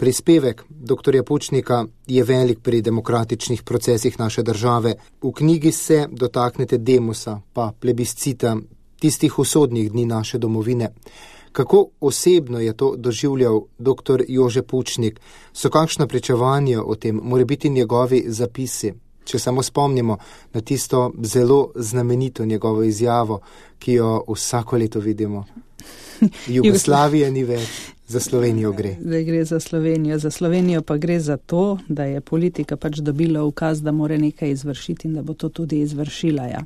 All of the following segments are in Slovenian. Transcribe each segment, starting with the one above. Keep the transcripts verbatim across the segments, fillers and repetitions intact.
Prispevek doktorja Pučnika je velik pri demokratičnih procesih naše države. V knjigi se dotaknete demusa, pa plebiscita, tistih usodnih dni naše domovine. Kako osebno je to doživljal doktor Jože Pučnik? So kakšna pričevanja o tem, more biti njegovi zapisi? Če samo spomnimo na tisto zelo znamenito njegovo izjavo, ki jo vsako leto vidimo. Jugoslavije ni več, za Slovenijo gre. Zdaj gre za Slovenijo. Za Slovenijo pa gre za to, da je politika pač dobila ukaz, da mora nekaj izvršiti in da bo to tudi izvršila. Ja.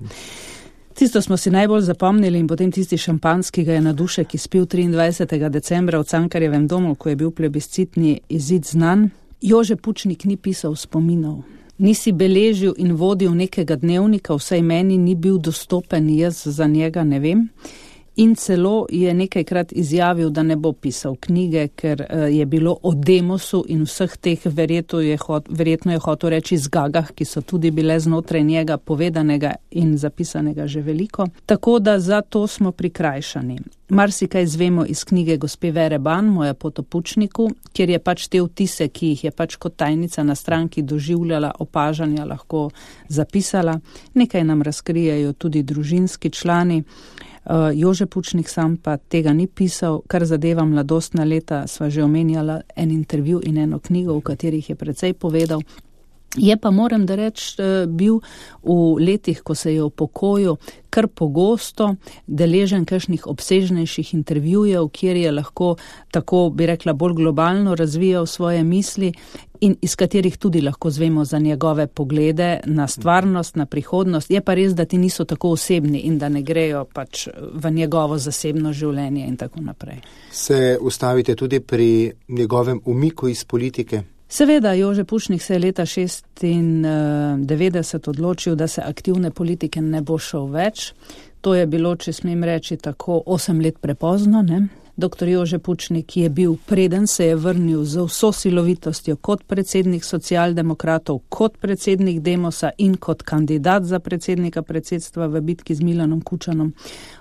Tisto smo si najbolj zapomnili in potem tisti šampanski ga je na Dušek izpil triindvajsetega decembra v Cankarjevem domu, ko je bil plebiscitni izid znan. Jože Pučnik ni pisal spominov. Nisi beležil in vodil nekega dnevnika, vsaj meni ni bil dostopen, jaz za njega ne vem. In celo je nekajkrat izjavil, da ne bo pisal knjige, ker je bilo o demosu in vseh teh verjetno je, hot, verjetno je hotel reči zgagah, ki so tudi bile znotraj njega povedanega in zapisanega že veliko. Tako da za to smo prikrajšani. Marsikaj zvemo iz knjige gospe Vere Ban, Moja pot o Pučniku, kjer je pač te vtise, ki jih je pač kot tajnica na stranki doživljala, opažanja lahko zapisala. Nekaj nam razkrijejo tudi družinski člani. Uh, Jože Pučnik sam pa tega ni pisal, kar zadeva mladostna leta, sva že omenjala en intervju in eno knjigo, v katerih je precej povedal. Je pa, moram da reči, bil v letih, ko se je v pokoju, kar pogosto deležen kakšnih obsežnejših intervjujev, kjer je lahko, tako bi rekla, bolj globalno razvijal svoje misli in iz katerih tudi lahko zvemo za njegove poglede na stvarnost, na prihodnost. Je pa res, da ti niso tako osebni in da ne grejo pač v njegovo zasebno življenje in tako naprej. Se ustavite tudi pri njegovem umiku iz politike? Seveda, Jože Pučnik se je leta šestindevetdeset odločil, da se aktivne politike ne bo šel več. To je bilo, če smem reči, tako osem let prepozno, ne? Doktor Jože Pučnik je bil, preden se je vrnil z vso silovitostjo kot predsednik socialdemokratov, kot predsednik Demosa in kot kandidat za predsednika predsedstva v bitki z Milanom Kučanom,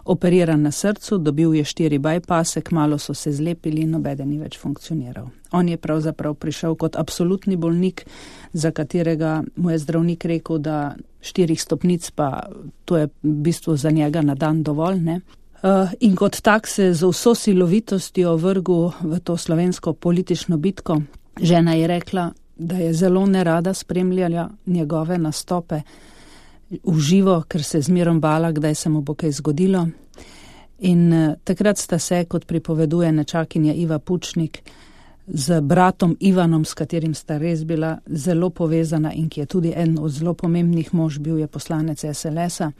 operiran na srcu, dobil je štiri bypasse, kmalu so se zlepili in nobeden ni več funkcioniral. On je pravzaprav prišel kot absolutni bolnik, za katerega mu je zdravnik rekel, da štirih stopnic pa to je v bistvu za njega na dan dovolj, ne? In kot tak se z vso silovitostjo vrgel v to slovensko politično bitko. Žena je rekla, da je zelo nerada spremljala njegove nastope v živo, ker se zmerom bala, kdaj se mu bo kaj zgodilo. In takrat sta se, kot pripoveduje nečakinja Iva Pučnik, z bratom Ivanom, s katerim sta res bila zelo povezana in ki je tudi en od zelo pomembnih mož, bil je poslanec es el es-a,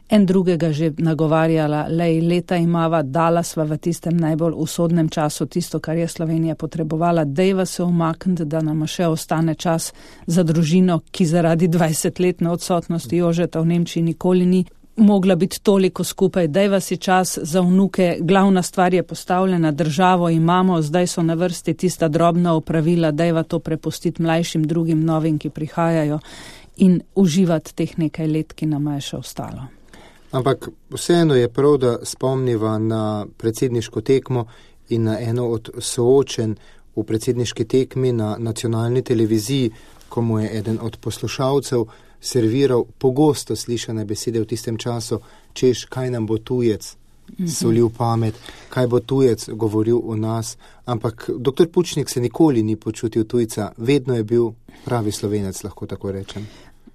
en drugega že nagovarjala, lej, leta imava, dala sva v tistem najbolj usodnem času tisto, kar je Slovenija potrebovala, dejva se umakniti, da nama še ostane čas za družino, ki zaradi dvajsetletne odsotnosti Jožeta v Nemčiji nikoli ni mogla biti toliko skupaj, dejva si čas za vnuke, glavna stvar je postavljena, državo imamo, zdaj so na vrsti tista drobna opravila, dejva to prepustiti mlajšim drugim novim, ki prihajajo in uživati teh nekaj let, ki nama je še ostalo. Ampak vseeno je prav, da spomniva na predsedniško tekmo in na eno od soočen v predsedniški tekmi na nacionalni televiziji, ko mu je eden od poslušalcev serviral pogosto slišane besede v tistem času, češ, kaj nam bo tujec solil pamet, kaj bo tujec govoril o nas. Ampak doktor Pučnik se nikoli ni počutil tujca, vedno je bil pravi Slovenec, lahko tako rečem.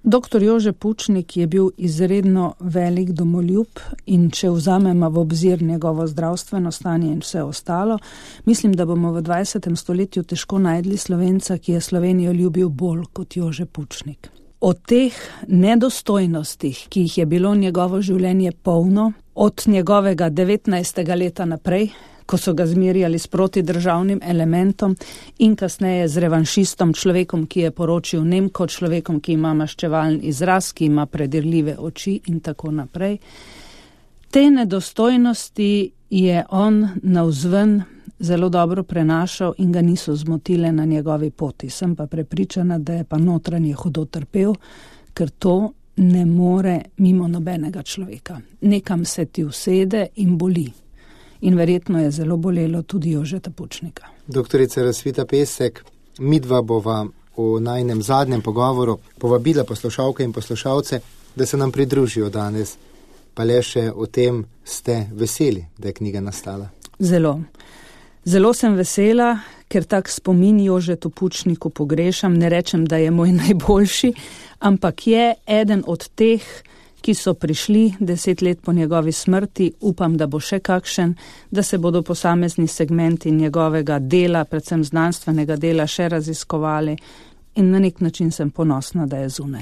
Doktor Jože Pučnik je bil izredno velik domoljub in če vzamemo v obzir njegovo zdravstveno stanje in vse ostalo, mislim, da bomo v dvajsetem stoletju težko najdli Slovenca, ki je Slovenijo ljubil bolj kot Jože Pučnik. O teh nedostojnostih, ki jih je bilo njegovo življenje polno, od njegovega devetnajstega leta naprej, ko so ga zmerjali s protidržavnim elementom in kasneje z revanšistom, človekom, ki je poročil Nemko, človekom, ki ima maščevalen izraz, ki ima predirljive oči in tako naprej. Te nedostojnosti je on navzven zelo dobro prenašal in ga niso zmotile na njegovi poti. Sem pa prepričana, da je pa notranje hudo trpel, ker to ne more mimo nobenega človeka. Nekam se ti usede in boli. in verjetno je zelo bolelo tudi Jožeta Pučnika. Doktorica Rosvita Pesek, midva bova v najnem zadnjem pogovoru povabila poslušalke in poslušalce, da se nam pridružijo danes. Pa le še o tem ste veseli, da je knjiga nastala. Zelo. Zelo sem vesela, ker tak spomin Jožetu Pučniku pogrešam. Ne rečem, da je moj najboljši, ampak je eden od teh, ki so prišli deset let po njegovi smrti. Upam, da bo še kakšen, da se bodo posamezni segmenti njegovega dela, predvsem znanstvenega dela, še raziskovali. In na nek način sem ponosna, da je zunaj.